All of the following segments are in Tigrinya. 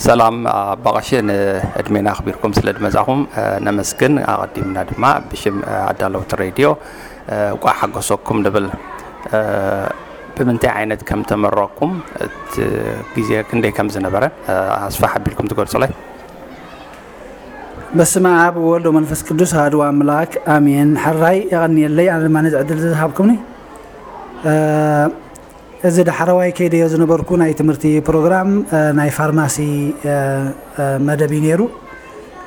ሰላም ኣባ ቀሺ፣ ንዕድሜና ኣኽቢርኩም ስለ ዝመጻኹም፣ እ፣ ነመስግን። ኣቐዲምና ድማ ብሽም፣ እ፣ ኣዳለውቲ ሬድዮ፣ እ፣ እንቋዕ ሓጎሰኩም ንብል። እ፣ ብምንታይ ዓይነት ከም ተመረቕኩም፣ እቲ ግዜ ክንደይ ከም ዝነበረ፣ እ፣ ኣስፋሕ ኣቢልኩም ትገልጹለይ? በስመ ኣብ ወወልድ ወመንፈስ ቅዱስ ኣሐዱ ኣምላክ ኣሜን። ሕራይ የቐንየለይ፣ ኣነ ድማ ነዚ ዕድል እዚ ዝሃብኩምኒ። እ፣ እዚ ዳሕረዋይ ከይደዮ ዝነበርኩ ናይ ትምህርቲ ፕሮግራም፣ እ፣ ናይ ፋርማሲ፣ እ፣ እ፣ መደብ እዩ ነይሩ።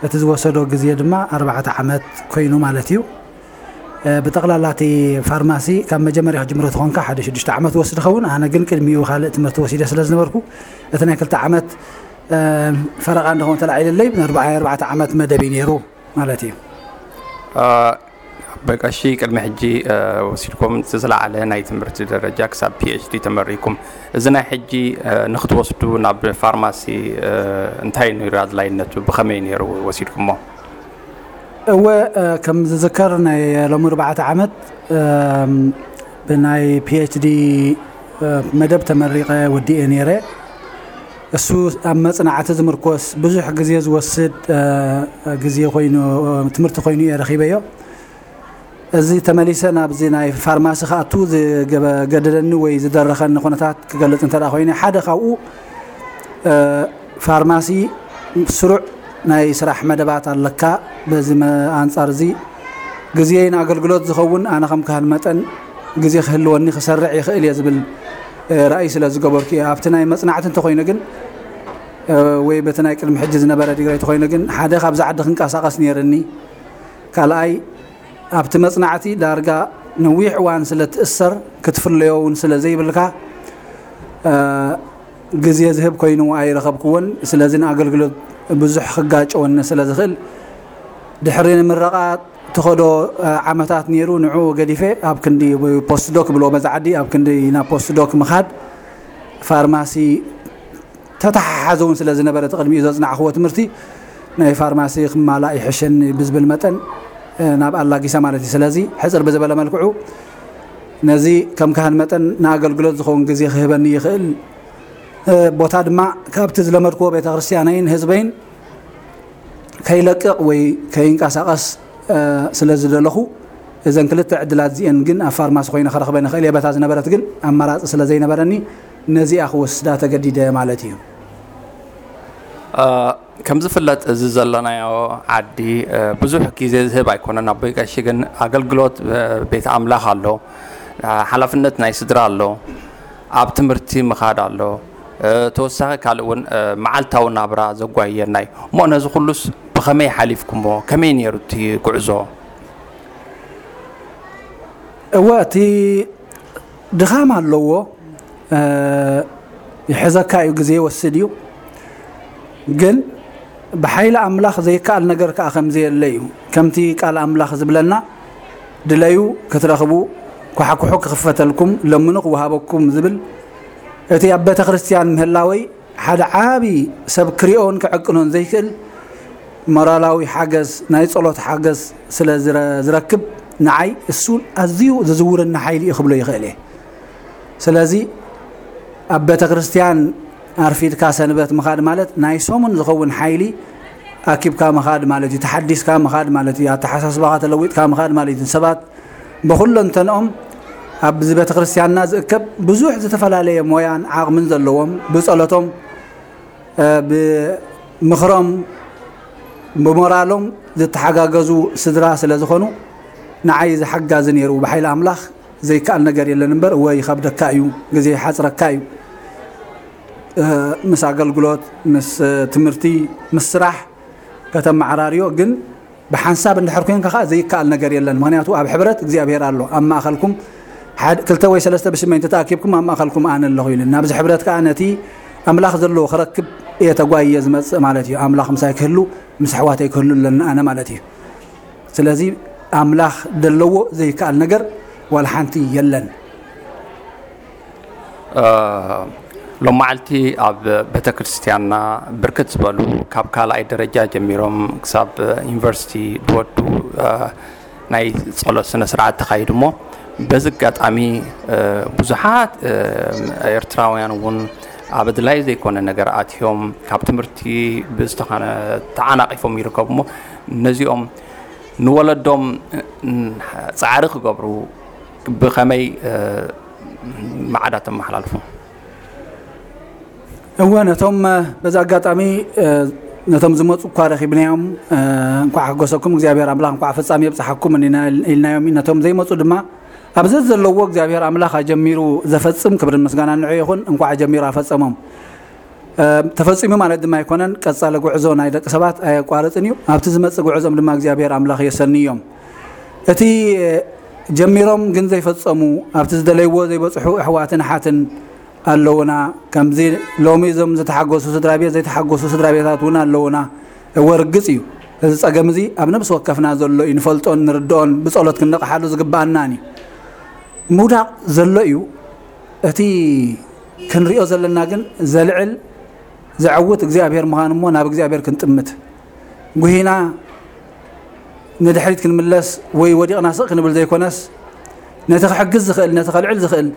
እቲ ዝወሰዶ ግዜ ድማ ኣርባዕተ ዓመት ኮይኑ ማለት እዩ። እ፣ ብጠቕላላ እቲ ፋርማሲ ካብ መጀመርያ ክጅምሮ ተኾንካ ሓደ ሽዱሽተ ዓመት ወስድ ኸውን። ኣነ ግን ቅድሚኡ ካልእ ትምህርቲ ወሲደ ስለ ዝነበርኩ እቲ ናይ ክልተ ዓመት፣ እ፣ ፈረቓ እንደኸውን ተላዒልለይ፣ ንኣርባዓ ኣርባዕተ ዓመት መደብ እዩ ነይሩ ማለት እዩ። እ፣ በቀሺ ቅድሚ ሕጂ፣ እ፣ ወሲድኩም እቲ ዝለዓለ ናይ ትምህርቲ ደረጃ ክሳብ ፒ ኤች ዲ ተመሪኩም። እዚ ናይ ሕጂ፣ እ፣ ንክትወስዱ ናብ ፋርማሲ፣ እ፣ እንታይ ነይሩ ኣድላይነቱ? ብኸመይ ነይሩ ወሲድኩሞ? እወ፣ እ፣ ከም ዝዝከር ናይ ሎሚ ኣርባዕተ ዓመት፣ እም፣ ብናይ ፒ ኤች ዲ፣ እ፣ መደብ ተመሪቐ ወዲኤ ነይረ። እሱ ኣብ መጽናዕቲ ዝምርኮስ ብዙሕ ግዜ ዝወስድ፣ እ፣ ግዜ ኮይኑ፣ እ፣ ትምህርቲ ኮይኑ እየ ረኺበዮ። እዚ ተመሊሰ ናብዚ ናይ ፋርማሲ ክኣቱ ዝገበ-፣ ገደደኒ ወይ ዝደረኸኒ ኩነታት ክገልጽ እንተ ደኣ ኮይነ፣ ሓደ ካብኡ፣ እ፣ ፋርማሲ ስሩዕ ናይ ስራሕ መደባት ኣለካ። በዚ መ-፣ ኣንጻር እዚ ግዜይ ንኣገልግሎት ዝኸውን ኣነ ከም ካህን መጠን ግዜ ክህልወኒ ክሰርዕ ይኽእል እየ ዝብል፣ እ፣ ራእይ ስለ ዝገበርኩ እየ። ኣብቲ ናይ መጽናዕቲ እንተኾይነ ግን፣ እ፣ ወይ በቲ ናይ ቅድሚ ሕጂ ዝነበረ ዲግሪ እንተኾይነ ግን፣ ሓደ ካብዚ ዓዲ ክንቀሳቐስ ነይርኒ። ካልኣይ፣ ኣብቲ መጽናዕቲ ዳርጋ ነዊሕ እዋን ስለ ትእሰር፣ ክትፍለዮ እውን ስለ ዘይብልካ፣ እ፣ ግዜ ዝህብ ኮይኑ ኣይረኸብክዎን። ስለዚ ንኣገልግሎት ብዙሕ ክጋጨወኒ ስለ ዝኽእል፣ ድሕሪ ንምረቓ ትኸዶ፣ እ፣ ዓመታት ነይሩ። ንዕኡ ገዲፈ ኣብ ክንዲ ፖስትዶክ ብሎ በዛ ዓዲ፣ ኣብ ክንዲ ናብ ፖስትዶክ ምኻድ፣ ፋርማሲ ተተሓሓዘ እውን ስለ ዝነበረ፣ እቲ ቅድሚኡ ዘጽናዕኽዎ ትምህርቲ ናይ ፋርማሲ ክማላእ ይሕሸኒ ብዝብል መጠን፣ እ፣ ናብ ኣላጊሰ ማለት እዩ። ስለዚ ሕጽር ብዝበለ መልክዑ ነዚ ከም ካህን መጠን ንኣገልግሎት ዝኸውን ግዜ ክህበኒ ይኽእል፣ እ፣ ቦታ ድማ ካብቲ ዝለመድክዎ ቤተ ክርስቲያነይን ህዝበይን ከይለቅቕ ወይ ከይንቀሳቐስ፣ እ፣ ስለ ዝደለኹ፣ እዘን ክልተ ዕድላት እዚኤን ግን ኣብ ፋርማሲ ኮይነ ክረኽበን ይኽእል እየ። በታ ዝነበረት ግን ኣማራጺ ስለ ዘይነበረኒ ነዚኣ ክወስዳ ተገዲደ ማለት እዩ። እ፣ ከም ዝፍለጥ እዚ ዘለናዮ ዓዲ፣ እ፣ ብዙሕ ግዜ ዝህብ ኣይኮነን። ኣቦይ ቀሺ ግን ኣገልግሎት፣ እ፣ ቤት ኣምላኽ ኣሎ፣ እ፣ ሓላፍነት ናይ ስድራ ኣሎ፣ ኣብ ትምህርቲ ምኻድ ኣሎ፣ እ፣ ተወሳኺ ካልእ እውን፣ እ፣ መዓልታዊ ናብራ ዘጓየና እዩ። እሞ ነዚ ኩሉስ ብኸመይ ሓሊፍኩሞ? ከመይ ነይሩ እቲ ጉዕዞ? እወ፣ እቲ ድኻም ኣለዎ፣ እ፣ ይሕዘካ እዩ፣ ግዜ ይወስድ እዩ። ግን ብሓይሊ ኣምላኽ ዘይከኣል ነገር ከኣ ከም ዘየለ እዩ። ከምቲ ቃል ኣምላኽ ዝብለና፣ "ድለዩ ክትረኽቡ፣ ኳሕኩሑ ክኽፈተልኩም፣ ለምኑ ክወሃበኩም" ዝብል፣ እቲ ኣብ ቤተ ክርስቲያን ምህላወይ ሓደ ዓቢ ሰብ ክሪኦን ክዕቅኖን ዘይክእል ሞራላዊ ሓገዝ፣ ናይ ጸሎት ሓገዝ ስለ ዝረ-፣ ዝረክብ፣ ንዓይ እሱ ኣዝዩ ዝዝውረኒ ሓይሊ እዩ ክብሎ ይኽእል እየ። ስለዚ ኣብ ቤተ ክርስቲያን ኣርፊድካ ሰንበት ምኻድ ማለት ናይ ሰሙን ዝኸውን ሓይሊ ኣኪብካ ምኻድ ማለት እዩ። ተሓዲስካ ምኻድ ማለት እዩ። ኣተሓሳስባኻ ተለዊጥካ ምኻድ ማለት እዩ። ሰባት ብኹለንተንኦም ኣብዚ ቤተ ክርስቲያንና ዝእከብ ብዙሕ ዝተፈላለየ ሞያን ዓቕምን ዘለዎም፣ ብጸሎቶም፣ እ፣ ብምኽሮም፣ ብሞራሎም ዝተሓጋገዙ ስድራ ስለ ዝኾኑ፣ ንዓይ እዚ ሓጋዚ ነይሩ። ብሓይሊ ኣምላኽ ዘይከኣል ነገር የለን እምበር፣ እወ ይኸብደካ እዩ፣ ግዜ ይሓጽረካ እዩ። እ፣ ምስ ኣገልግሎት፣ ምስ ትምህርቲ፣ ምስ ስራሕ ከተመዓራርዮ ግን ብሓንሳብ እንድሕር ኮንካ ኸኣ ዘይከኣል ነገር የለን። ምኽንያቱ ኣብ ሕብረት እግዚኣብሔር ኣሎ። ኣብ ማእከልኩም ሓድ-፣ ክልተ ወይ ሰለስተ ብሽመይ እንተተኣኪብኩም ኣብ ማእከልኩም ኣነ ኣለኹ ኢሉ። ናብዚ ሕብረት ከኣ ነቲ ኣምላኽ ዘለዎ ክረክብ እየ ተጓይየ ዝመጽእ ማለት እዩ። ኣምላኽ ምሳይ ክህሉ፣ ምስ ኣሕዋተይ ክህሉ ኣለኒ ኣነ ማለት እዩ። ስለዚ ኣምላኽ ደለዎ ዘይከኣል ነገር ዋላ ሓንቲ የለን። እ፣ ሎማዓልቲ ኣብ ቤተ ክርስቲያንና ብርክት ዝበሉ ካብ ካልኣይ ደረጃ ጀሚሮም ክሳብ ዩኒቨርሲቲ ዝወዱ፣ እ፣ ናይ ጸሎት ስነ ስርዓት ተኻይዱ እሞ፣ በዚ ኣጋጣሚ፣ እ፣ ብዙሓት፣ እ፣ ኤርትራውያን እውን ኣብ ኣድላይ ዘይኮነ ነገር ኣትዮም ካብ ትምህርቲ ብዝተኻነ ተዓናቒፎም ይርከቡ እሞ፣ ነዚኦም ንወለዶም ጻዕሪ ክገብሩ ብኸመይ ማዕዳ ተመሓላልፉ? እወ፣ ነቶም በዚ ኣጋጣሚ ነቶም ዝመፁ እኳ ረኺብናዮም። እንኳዕ ሓጎሰኩም እግዚኣብሔር ኣምላኽ፣ እንኳዕ ፍጻሜ የብፅሓኩም ኢልናዮም። ነቶም ዘይመፁ ድማ ኣብዚ ዘለዎ እግዚኣብሔር ኣምላኽ ኣጀሚሩ ዘፈፅም ክብርን ምስጋና ንዑ ይኹን። እንኳዕ ኣጀሚሩ ኣፈፀሞም። ተፈፂሙ ማለት ድማ ኣይኮነን፣ ቀፃሊ ጉዕዞ ናይ ደቂ ሰባት ኣየቋርፅን እዩ። ኣብቲ ዝመፅእ ጉዕዞም ድማ እግዚኣብሔር ኣምላኽ የሰንዮም። እቲ ጀሚሮም ግን ዘይፈፀሙ፣ ኣብቲ ዝደለይዎ ዘይበፅሑ ኣሕዋትን ኣሓትን ኣለውና። ከምዚ ሎሚ እዞም ዝተሓጎሱ ስድራ ቤት ዘይተሓጎሱ ስድራ ቤታት እውን ኣለውና። እወ፣ ርግፅ እዩ፣ እዚ ፀገም እዚ ኣብ ነብሲ ወከፍና ዘሎ እዩ፣ ንፈልጦን ንርድኦን ብፀሎት ክንነቕሓሉ ዝግባኣናን እዩ። ምውዳቕ ዘሎ እዩ። እቲ ክንሪኦ ዘለና ግን ዘልዕል ዘዕውት እግዚኣብሔር ምዃኑ እሞ ናብ እግዚኣብሔር ክንጥምት፣ ጉሂና ንድሕሪት ክንምለስ ወይ ወዲቕና ስቕ ክንብል ዘይኮነስ፣ ነቲ ክሕግዝ ዝኽእል፣ ነቲ ከልዕል ዝኽእል፣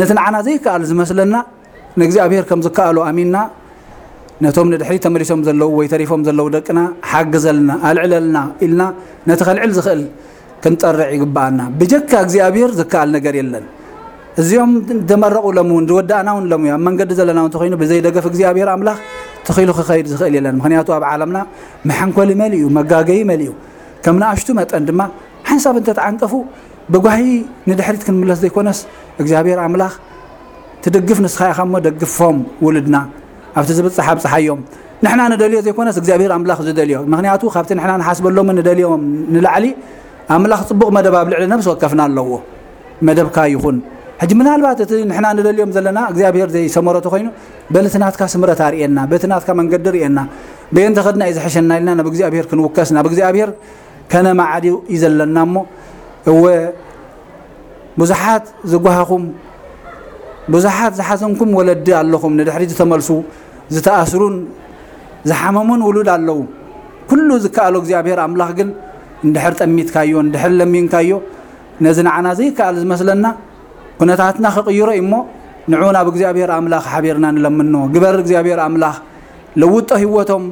ነቲ ንዓና ዘይከኣል ዝመስለና ንእግዚኣብሔር ከም ዝከኣሎ ኣሚንና፣ ነቶም ንድሕሪት ተመሊሶም ዘለዉ ወይ ተሪፎም ዘለዉ ደቅና ሓግዘልና፣ ኣልዕለልና ኢልና ነቲ ከልዕል ዝኽእል ክንጠርዕ ይግባኣና። ብጀካ እግዚኣብሔር ዝከኣል ነገር የለን። እዚኦም ደመረቑ ሎም እውን ዝወዳእና እውን ሎም ኣብ መንገዲ ዘለና እውን ተኮይኑ ብዘይ ደገፍ እግዚኣብሔር ኣምላኽ ተኺሉ ክኸይድ ዝኽእል የለን። ምክንያቱ ኣብ ዓለምና መሐንኮሊ መሊኡ፣ መጋገይ መሊኡ፣ ከም ንኣሽቱ መጠን ድማ ሓንሳብ እንተተዓንቀፉ ብጓሂ ንድሕሪት ክንምለስ ዘይኮነስ እግዚኣብሔር ኣምላኽ ትድግፍ ንስኻ ኢኻ እሞ ደግፎም ውልድና ኣብቲ ዝብፅሕ ኣብፅሓዮም። ንሕና ንደልዮ ዘይኮነስ እግዚኣብሔር ኣምላኽ ዝደልዮ። ምክንያቱ ካብቲ ንሕና ንሓስበሎምን ንደልዮም ንላዕሊ ኣምላኽ ፅቡቕ መደብ ኣብ ልዕሊ ነብሲ ወከፍና ኣለዎ። መደብካ ይኹን። ሕጂ ምናልባት እቲ ንሕና ንደልዮም ዘለና እግዚኣብሔር ዘይሰመሮ ተኮይኑ፣ በል እቲ ናትካ ስምረት ኣርእየና፣ በቲ ናትካ መንገዲ ርእየና፣ በየን ተኸድና እዩ ዝሕሸና ኢልና ናብ እግዚኣብሔር ክንውከስ፣ ናብ እግዚኣብሔር ከነማዕድ እዩ ዘለና እሞ፣ እወ ብዙሓት ዝጓሃኹም፣ ብዙሓት ዝሓዘንኩም ወለዲ ኣለኹም፣ ንድሕሪት ዝተመልሱ፣ ዝተኣስሩን ዝሓመሙን ውሉድ ኣለዉ። ኩሉ ዝከኣሎ እግዚኣብሔር ኣምላኽ ግን እንድሕር ጠሚትካዮ፣ እንድሕር ለሚንካዮ፣ ነዚ ንዓና ዘይከኣል ዝመስለና ኩነታትና ክቕይሮ እዩ እሞ፣ ንዑ ናብ እግዚኣብሔር ኣምላኽ ሓቢርና ንለምኖ። ግበር እግዚኣብሔር ኣምላኽ፣ ለውጦ ህይወቶም፣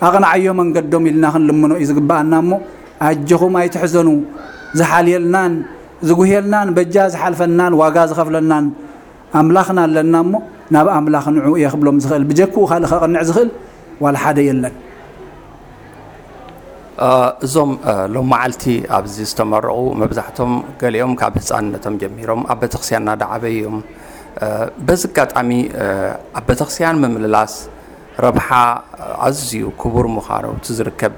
ኣቕንዓዮ መንገዶም ኢልና ክንልምኖ እዩ ዝግባኣና እሞ፣ ኣጀኹም ኣይትሕዘኑ። ዝሓልየልናን ዝጉህየልናን በጃ ዝሓልፈናን ዋጋ ዝኸፍለናን ኣምላኽና ኣለና እሞ፣ ናብ ኣምላኽ ንዑ እየ ክብሎም ዝኽእል። ብጀክኡ ካልእ ከቕንዕ ዝኽእል ዋላ ሓደ የለን። እዞም ሎም መዓልቲ ኣብዚ ዝተመረቑ መብዛሕቶም ገሊኦም ካብ ህፃንነቶም ጀሚሮም ኣብ ቤተክርስትያን እናዳዓበዩ እዮም። በዚ ኣጋጣሚ ኣብ ቤተክርስትያን ምምልላስ ረብሓ ኣዝዩ ክቡር ምዃኑ፣ እቲ ዝርከብ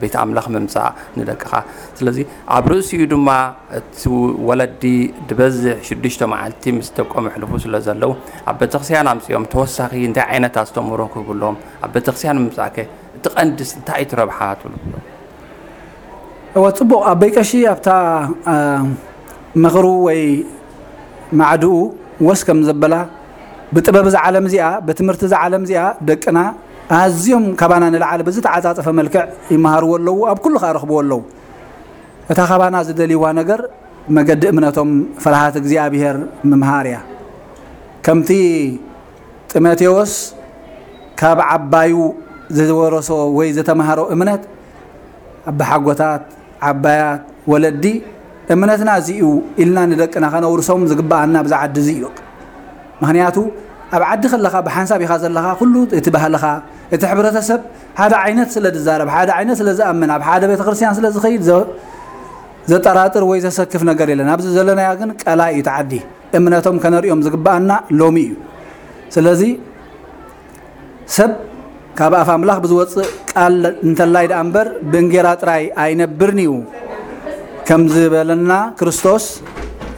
ቤት ኣምላኽ ምምፃእ ንደቅኻ። ስለዚ ኣብ ርእሲኡ ድማ እቲ ወለዲ ዝበዝሕ ሽዱሽተ መዓልቲ ምስ ደቆም የሕልፉ ስለ ዘለዉ፣ ኣብ ቤተክርስትያን ኣምፅኦም ተወሳኺ እንታይ ዓይነት ኣስተምህሮ ክህብሎም ኣብ ቤተክርስትያን ምምፃእከ እቲ ቀንድስ እንታይ እቲ ረብሓ ትብሉ? እወ፣ ጽቡቕ። ኣቦይ ቀሺ ኣብታ ምኽሩ ወይ ማዕድኡ ወስ ከም ዘበላ፣ ብጥበብ እዛ ዓለም እዚኣ፣ ብትምህርቲ እዛ ዓለም እዚኣ ደቅና ኣዝዮም ካባና ንላዕሊ ብዝተዓጻጸፈ መልክዕ ይመሃርዎ ኣለዉ፣ ኣብ ኩሉ ከኣ ረኽብዎ ኣለዉ። እታ ካባና ዝደልይዋ ነገር መገዲ እምነቶም ፍርሃት እግዚኣብሔር ምምሃር እያ። ከምቲ ጢሞቴዎስ ካብ ዓባዩ ዝወረሶ ወይ ዝተምሃሮ እምነት፣ ኣባሓጎታት፣ ዓባያት፣ ወለዲ፣ እምነትና እዚ እዩ ኢልና ንደቅና ከነውርሶም ዝግበኣና ኣብዚ ዓዲ እዚ እዩ። ምኽንያቱ ኣብ ዓዲ ከለኻ ብሓንሳብ ኢኻ ዘለኻ፣ ኩሉ እቲ ባህልኻ፣ እቲ ሕብረተሰብ ሓደ ዓይነት ስለ ዝዛረብ፣ ሓደ ዓይነት ስለ ዝኣምን፣ ኣብ ሓደ ቤተክርስትያን ስለ ዝኸይድ ዘ- ዘጠራጥር ወይ ዘሰክፍ ነገር የለን። ኣብዚ ዘለናያ ግን ቀላይ እዩ እቲ ዓዲ። እምነቶም ከነርእዮም ዝግበኣና ሎሚ እዩ። ስለዚ ሰብ ካብ ኣፍ ኣምላኽ ብዝወፅእ ቃል እንተላይ ደኣ እምበር ብእንጌራ ጥራይ ኣይነብርን እዩ ከም ዝበለና ክርስቶስ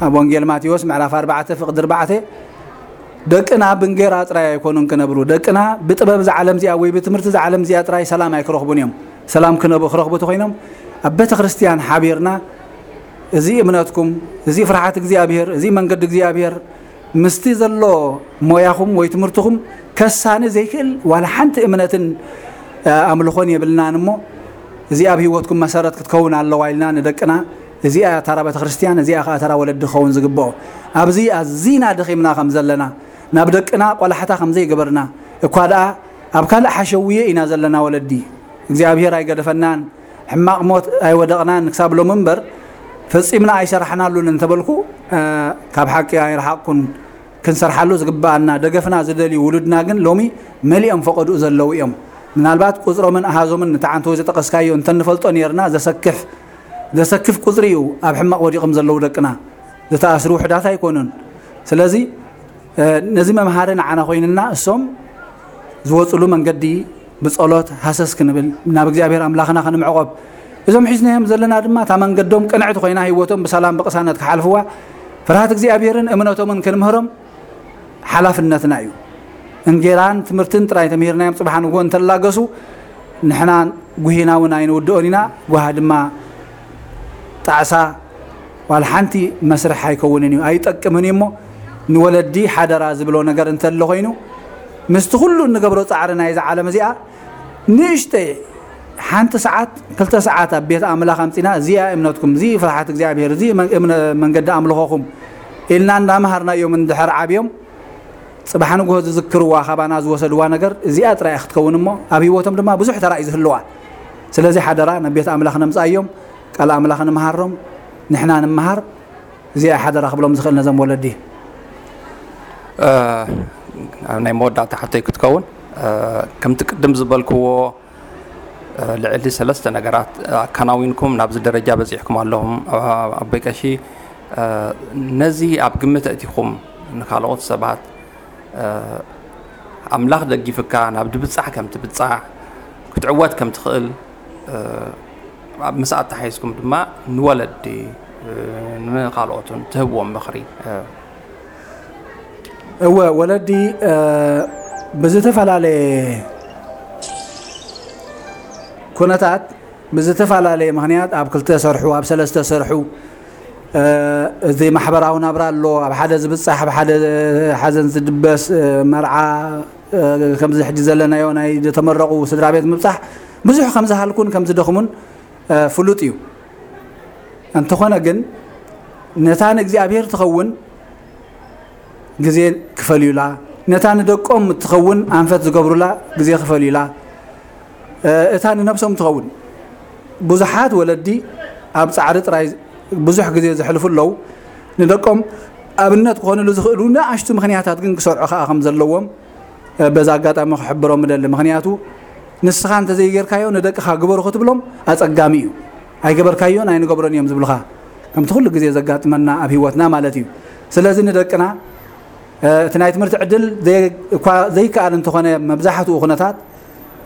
ኣብ ወንጌል ማቴዎስ ምዕራፍ ኣርባዕተ ፍቕዲ ኣርባዕተ፣ ደቅና ብእንጌራ ጥራይ ኣይኮኑን ክነብሩ፣ ደቅና ብጥበብ እዛ ዓለም እዚኣ ወይ ብትምህርቲ እዛ ዓለም እዚኣ ጥራይ ሰላም ኣይክረኽቡን እዮም። ሰላም ክነብ- ክረኽቡ ተኾይኖም ኣብ ቤተ ክርስቲያን ሓቢርና እዚ እምነትኩም፣ እዚ ፍርሓት እግዚኣብሔር፣ እዚ መንገዲ እግዚኣብሔር ምስቲ ዘሎ ሞያኹም ወይ ትምህርትኹም ከሳኒ ዘይክእል ዋላ ሓንቲ እምነትን ኣምልኾን የብልናን እሞ እዚኣ ኣብ ህይወትኩም መሰረት ክትከውን ኣለዋ ኢልና ንደቅና እዚኣ ተራ ቤተ ክርስቲያን እዚኣ ከዓ ተራ ወለዲ ክኸውን ዝግብኦ ኣብዚ ኣዚና ደኺምና ከም ዘለና ናብ ደቅና ቆላሕታ ከም ዘይገበርና፣ እኳ ደኣ ኣብ ካልእ ሓሸውየ ኢና ዘለና ወለዲ። እግዚኣብሔር ኣይገደፈናን፣ ሕማቕ ሞት ኣይወደቕናን ክሳብ ሎሚ እምበር፣ ፈጺምና ኣይሰራሕናሉን እንተበልኩ፣ እ፣ ካብ ሓቂ ኣይረሓቕኩን። ክንሰርሓሉ ዝግብኣና፣ ደገፍና ዝደልዩ ውሉድና ግን ሎሚ መሊኦም ፈቐድኡ ዘለዉ እዮም። ምናልባት ቁጽሮምን ኣሃዞምን ንተዓንተወ ዝጠቐስካዮ እንተንፈልጦ ነይርና፣ ዘሰክፍ፣ ዘሰክፍ ቁጽሪ እዩ ኣብ ሕማቕ ወዲቖም ዘለዉ ደቅና። ዝተኣስሩ ውሑዳት ኣይኮኑን። ስለዚ፣ እ፣ ነዚ መምሃሪ ንዓና ኮይንና፣ እሶም ዝወጽሉ መንገዲ ብጸሎት ሃሰስ ክንብል፣ ናብ እግዚኣብሔር ኣምላኽና ክንምዕቖብ፣ እዞም ሒዝናዮም ዘለና ድማ እታ መንገዶም ቅንዕቲ ኮይና ህይወቶም ብሰላም ብቕሳነት ክሓልፍዋ ፍርሃት እግዚኣብሔርን እምነቶምን ክንምህሮም ሓላፍነትና እዩ። እንጌራን ትምህርትን ጥራይ ተምሂርናዮም ጽባሕ ንግሆ እንተላገሱ፣ ንሕና ጉሂና እውን ኣይንውድኦን ኢና። ጓሃ ድማ ጣዕሳ ዋላ ሓንቲ መስርሕ ኣይከውንን እዩ፣ ኣይጠቅምን እዩ። እሞ ንወለዲ ሓደራ ዝብሎ ነገር እንተሎ ኮይኑ፣ ምስቲ ኩሉ እንገብሮ ጻዕሪ ናይዛ ዓለም እዚኣ ንእሽተይ ሓንቲ ሰዓት፣ ክልተ ሰዓት ኣብ ቤት ኣምላኽ ኣምጺና፣ እዚኣ እምነትኩም፣ እዚ ፍርሓት እግዚኣብሔር፣ እዚ መን-፣ እምነ-፣ መንገዲ ኣምልኾኹም ኢልና እንዳመሃርናዮም እንድሕር ዓብዮም፣ ጽባሕ ንግሆ ዝዝክርዋ፣ ካባና ዝወሰድዋ ነገር እዚኣ ጥራይ ክትከውን እሞ፣ ኣብ ህይወቶም ድማ ብዙሕ ተራ እዩ ዝህልዋ። ስለዚ ሓደራ ናብ ቤት ኣምላኽ ነምጽኣዮም፣ ቃል ኣምላኽ ንምሃሮም፣ ንሕና ንምሃር። እዚኣ ሓደራ ክብሎም ዝኽእል ነዞም ወለዲ። እ፣ ኣብ ናይ መወዳእታ ሕቶይ ክትከውን፣ እ፣ ከምቲ ቅድም ዝበልክዎ፣ እ፣ ልዕሊ ሰለስተ ነገራት ኣከናዊንኩም ናብዚ ደረጃ በጺሕኩም ኣለኹም። እ፣ ኣቦይ ቀሺ፣ እ፣ ነዚ ኣብ ግምት ኣእቲኹም ንካልኦት ሰባት፣ እ፣ ኣምላኽ ደጊፍካ ናብ ድብጻሕ ከም ትብጻሕ፣ ክትዕወት ከም ትኽእል፣ እ፣ ኣብ ምስ ኣተሓሒዝኩም ድማ ንወለዲ፣ እ፣ ንኻልኦትን ትህብዎም ምኽሪ፣ እ። እወ፣ ወለዲ፣ እ፣ ብዝተፈላለየ ኩነታት፣ ብዝተፈላለየ ምኽንያት ኣብ ክልተ ሰርሑ፣ ኣብ ሰለስተ ሰርሑ፣ እ፣ እዚ ማሕበራዊ ናብራ ኣሎ፣ ኣብ ሓደ ዝብጻሕ፣ ኣብ ሓደ ሓዘን ዝድበስ፣ እ፣ መርዓ፣ እ፣ ከምዚ ሕጂ ዘለናዮ ናይ ዝተመረቑ ስድራ ቤት ምብጻሕ ብዙሕ ከም ዝሃልኩን ከም ዝደኽሙን፣ እ፣ ፍሉጥ እዩ። እንተኾነ ግን ነታ ንእግዚኣብሔር ትኸውን ግዜ ክፈልዩላ፣ ነታ ንደቆም እትኸውን ኣንፈት ዝገብሩላ ግዜ ክፈልዩላ፣ እ፣ እታ ንነብሶም ትኸውን። ብዙሓት ወለዲ ኣብ ጻዕሪ ጥራይ ብዙሕ ግዜ ዘሕልፉ ኣለዉ። ንደቆም ኣብነት ክኾኑሉ ዝኽእሉ ንኣሽቱ ምኽንያታት ግን ክሰርዑ ከኣ ከም ዘለዎም፣ እ፣ በዚ ኣጋጣሚ ክሕብሮም እደሊ። ምኽንያቱ ንስኻ እንተዘይጌርካዮ ንደቅኻ ግበሩ ክትብሎም ኣጸጋሚ እዩ። ኣይገበርካዮን ኣይንገብሮን እዮም ዝብሉኻ። ከምቲ ኩሉ ግዜ ዘጋጥመና ኣብ ህይወትና ማለት እዩ። ስለዚ ንደቅና፣ እ፣ እቲ ናይ ትምህርቲ ዕድል ዘይ-፣ እኳ ዘይከኣል እንተኾነ መብዛሕትኡ ኩነታት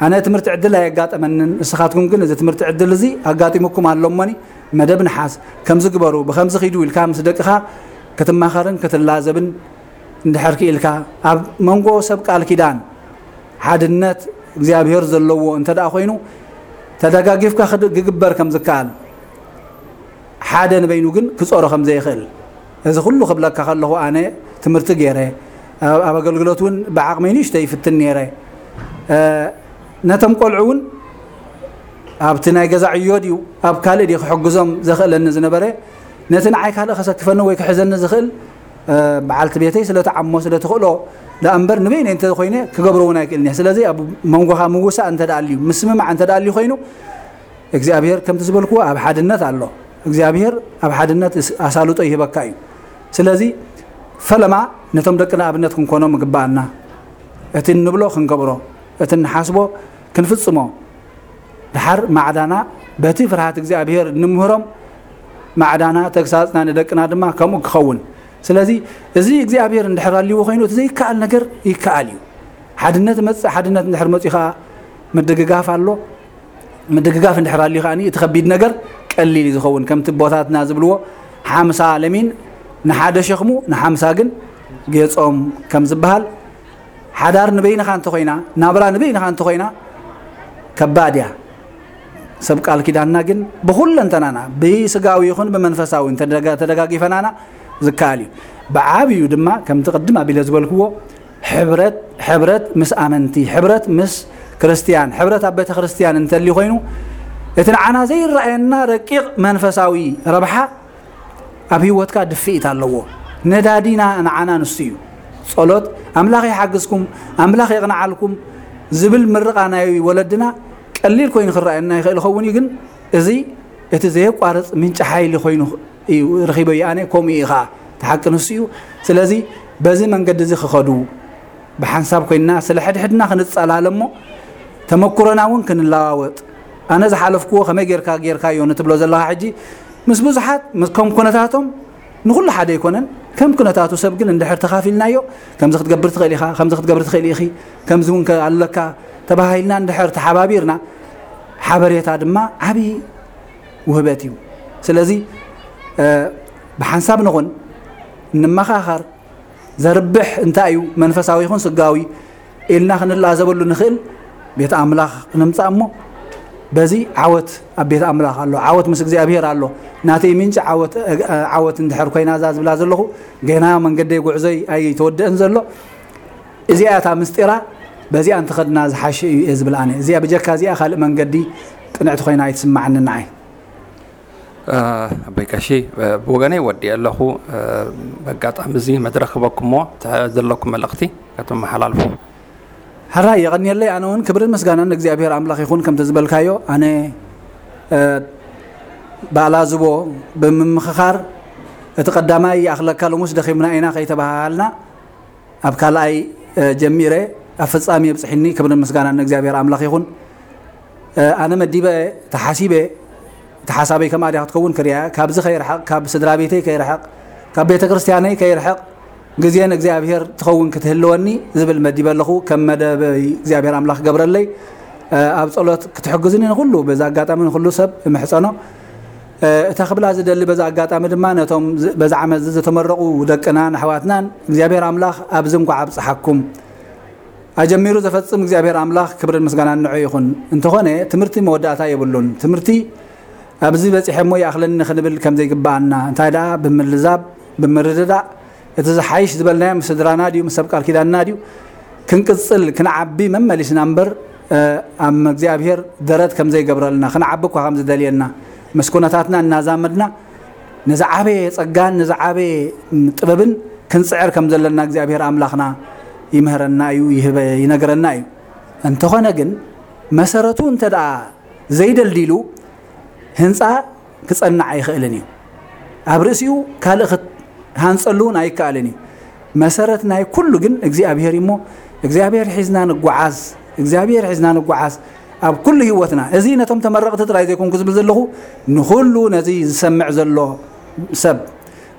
ኣነ ትምህርቲ ዕድል ኣየጋጠመንን። ንስኻትኩም ግን እዚ ትምህርቲ ዕድል እዚ ኣጋጢሙኩም ኣሎ እሞኒ መደብ ንሓስ ከምዚ ግበሩ፣ ብኸምዚ ኺዱ ኢልካ ምስ ደቅኻ ክትማኸርን ክትላዘብን እንድሕር ክኢልካ፣ ኣብ መንጎ ሰብ ቃል ኪዳን ሓድነት እግዚኣብሔር ዘለዎ እንተ ደኣ ኮይኑ፣ ተደጋጊፍካ ክድ-፣ ክግበር ከም ዝከኣል፣ ሓደ ንበይኑ ግን ክጾሮ ከም ዘይኽእል፣ እዚ ኩሉ ክብለካ ከለኹ፣ ኣነ ትምህርቲ ገይረ፣ ኣብ፣ ኣብ ኣገልግሎት እውን ብዓቕመይ ንእሽተይ ይፍትን ነይረ። እ፣ ነቶም ቆልዑ እውን ኣብቲ ናይ ገዛ ዕዮ ድዩ፣ ኣብ ካልእ ድዩ ክሕግዞም ዘኽእለኒ ዝነበረ፣ ነቲ ንዓይ ካልእ ከሰክፈኒ ወይ ክሕዘኒ ዝኽእል፣ እ፣ በዓልቲ ቤተይ ስለ ትዓሞ፣ ስለ ትኽእሎ ደኣ እምበር፣ ንበይነይ እንተ ኮይነ ክገብሮ እውን ኣይክእልን እየ። ስለዚ ኣብ መንጎኻ ምውሳእ እንተ ደኣ ኣልዩ፣ ምስምማዕ እንተ ደኣ ኣልዩ ኮይኑ፣ እግዚኣብሔር ከምቲ ዝበልክዎ ኣብ ሓድነት ኣሎ። እግዚኣብሔር ኣብ ሓድነት እስ-፣ ኣሳልጦ ይህበካ እዩ። ስለዚ ፈለማ ነቶም ደቅና ኣብነት ክንኮኖም ይግብኣና። እቲ እንብሎ ክንገብሮ፣ እቲ እንሓስቦ ክንፍጽሞ። ደሓር ማዕዳና በቲ ፍርሃት እግዚኣብሔር ንምህሮም፣ ማዕዳና ተግሳጽና ንደቅና ድማ ከምኡ ክኸውን። ስለዚ እዚ እግዚኣብሔር እንድሕር ኣልይዎ ኮይኑ፣ እቲ ዘይከኣል ነገር ይከኣል እዩ። ሓድነት መጽእ፣ ሓድነት እንድሕር መጽኡ ከኣ ምድግጋፍ ኣሎ። ምድግጋፍ እንድሕር ኣልዩ ከኣ እቲ ከቢድ ነገር ቀሊል እዩ ዝኸውን። ከምቲ ኣቦታትና ዝብልዎ፣ ሓምሳ ለሚን ንሓደ ሸኽሙ፣ ንሓምሳ ግን ጌጾም ከም ዝበሃል፣ ሓዳር ንበይንኻ እንተኾይና፣ ናብራ ንበይንኻ እንተኾይና ከባድ እያ። ሰብ ቃል ኪዳንና ግን ብኹለንተናና፣ ብስጋዊ ይኹን ብመንፈሳዊ እንተደጋ-፣ ተደጋጊፈናና ዝከኣል እዩ። ብዓብዩ ድማ ከምቲ ቅድም ኣቢለ ዝበልክዎ፣ ሕብረት፣ ሕብረት ምስ ኣመንቲ፣ ሕብረት ምስ ክርስትያን፣ ሕብረት ኣብ ቤተ ክርስትያን እንተልዩ ኮይኑ፣ እቲ ንዓና ዘይረኣየና ረቂቕ መንፈሳዊ ረብሓ ኣብ ህይወትካ ድፍኢት ኣለዎ። ነዳዲና ንዓና ንሱ እዩ። ጸሎት ኣምላኽ ይሓግዝኩም፣ ኣምላኽ የቕንዓልኩም ዝብል ምርቓ ናይ ወለድና ቀሊል ኮይኑ ክረኣየና ይኽእል ይኸውን እዩ። ግን እዚ እቲ ዘየቋርጽ ምንጪ ሓይሊ ኮይኑ እዩ ረኺበዮ። ኣነ ከምኡ እዩ ኸዓ፣ እቲ ሓቂ ንሱ እዩ። ስለዚ በዚ መንገዲ እዚ ክኸዱ ብሓንሳብ ኮይንና ስለ ሕድሕድና ክንጸላለ እሞ ተመኩሮና እውን ክንለዋወጥ፣ ኣነ ዝሓለፍክዎ ከመይ ጌርካ ጌርካዮ ንትብሎ ዘለኻ ሕጂ ምስ ብዙሓት ምስ ከም ኩነታቶም ንኹሉ ሓደ ኣይኮነን። ከም ኩነታቱ ሰብ ግን እንድሕር ተኻፊልናዮ፣ ከምዚ ክትገብር ትኽእል ኢኻ፣ ከምዚ ክትገብር ትኽእል ኢኺ፣ ከምዚ እውን ከ ኣለካ ተባሂልና እንድሕር ተሓባቢርና፣ ሓበሬታ ድማ ዓብዪ ውህበት እዩ። ስለዚ ብሓንሳብ ንኹን፣ ንመኻኸር፣ ዘርብሕ እንታይ እዩ መንፈሳዊ ይኹን ስጋዊ ኢልና ክንላዘበሉ ንኽእል ቤት ኣምላኽ ንምጻእ እሞ፣ በዚ ዓወት ኣብ ቤት ኣምላኽ ኣሎ፣ ዓወት ምስ እግዚኣብሔር ኣሎ። ናተይ ምንጪ ዓወት ዓወት እንድሕር ኮይና እዛ ዝብላ ዘለኹ፣ ገና መንገደይ ጉዕዞይ ኣይተወደአን ዘሎ። እዚኣ እታ ምስጢራ፣ በዚኣ እንተኸድና ዝሓሸ እዩ እየ ዝብል ኣነ። እዚኣ ብጀካ እዚኣ ካልእ መንገዲ ቅንዕቲ ኮይና ኣይትስማዓኒ ንዓይ። ኣቦይ ቀሺ፣ ብወገነይ ወዲእ ኣለኹ። በጋጣሚ እዚ መድረክ ክበኩሞ ዘለኩም መልእኽቲ ከተመሓላልፉ። ሕራይ የቐንየለይ። ኣነ እውን ክብርን ምስጋናን ንእግዚኣብሔር ኣምላኽ ይኹን። ከምቲ ዝበልካዮ ኣነ ባላዝቦ ብምምኽኻር፣ እቲ ቀዳማይ ይኣኽለካ፣ ሎሙስ ደኺምና ኢና ከይተባሃሃልና፣ ኣብ ካልኣይ ጀሚረ ኣብ ፍጻሜ የብጽሕኒ። ክብርን ምስጋናን ንእግዚኣብሔር ኣምላኽ ይኹን። ኣነ መዲበ ተሓሲበ፣ እቲ ሓሳበይ ከምኣ ድያ ክትከውን ክሪኣ፣ ካብዚ ከይርሕቕ፣ ካብ ስድራ ቤተይ ከይርሕቕ፣ ካብ ቤተ ክርስቲያነይ ከይርሕቕ፣ ግዜ ንእግዚኣብሔር ትኸውን ክትህልወኒ ዝብል መዲበ ኣለኹ። ከም መደበይ እግዚኣብሔር ኣምላኽ ክገብረለይ። ኣብ ጸሎት ክትሕግዙኒ ንኹሉ፣ በዚ ኣጋጣሚ ንኹሉ ሰብ እምሕጸኖ። እታ ክብላ ዝደሊ በዚ ኣጋጣሚ ድማ ነቶም በዚ ዓመት እዚ ዝተመረቑ ደቅናን ኣሕዋትናን እግዚኣብሔር ኣምላኽ ኣብዚ እንኳዕ ኣብጽሓኩም። ኣጀሚሩ ዘፈጽም እግዚኣብሔር ኣምላኽ ክብርን ምስጋናን ንዑ ይኹን። እንተኾነ ትምህርቲ መወዳእታ የብሉን። ትምህርቲ ኣብዚ በጺሐ እሞ ይኣኽለኒ ክንብል ከም ዘይግብኣና፣ እንታይ ደኣ ብምልዛብ ብምርድዳእ እቲ ዝሓይሽ ዝበልናዮ ምስ ስድራና ድዩ ምስ ሰብ ቃል ኪዳንና ድዩ ክንቅጽል ክንዓቢ መመሊስና እምበር፣ ኣብ እግዚኣብሔር ደረት ከም ዘይገብረልና፣ ክንዓቢ እኳ ከም ዝደልየና፣ ምስ ኩነታትና እናዛመድና ንዝዓበየ ጸጋን ንዝዓበየ ጥበብን ክንጽዕር ከም ዘለና እግዚኣብሔር ኣምላኽና ይምህረና እዩ፣ ይህበ ይነግረና እዩ። እንተኾነ ግን መሰረቱ እንተ ደኣ ዘይደልዲሉ ህንጻ ክጸንዕ ኣይኽእልን እዩ። ኣብ ርእሲኡ ካልእ ክትሃንጸሉ እውን ኣይከኣልን እዩ። መሰረት ናይ ኩሉ ግን እግዚኣብሔር እዩ እሞ እግዚኣብሔር ሒዝና ንጓዓዝ፣ እግዚኣብሔር ሒዝና ንጓዓዝ ኣብ ኩሉ ህይወትና። እዚ ነቶም ተመረቕቲ ጥራይ ዘይኮንኩ ዝብል ዘለኹ ንኹሉ ነዚ ዝሰምዕ ዘሎ ሰብ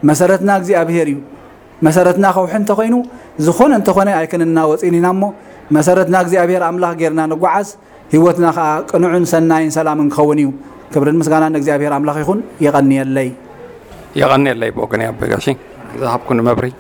መሰረትና እግዚኣብሔር እዩ። መሰረትና ከውሒ እንተኾይኑ ዝኾነ እንተኾነ ኣይክንናወጽን ኢና እሞ መሰረትና እግዚኣብሔር ኣምላኽ ጌርና ንጓዓዝ። ህይወትና ኸዓ ቅኑዕን ሰናይን ሰላምን ክኸውን እዩ። ክብርን ምስጋናን ንእግዚኣብሔር ኣምላኽ ይኹን። የቐንየለይ። የቐንየለይ ብወገነይ ኣቦይ ጋሺ ዝሃብኩኒ መብርሂ።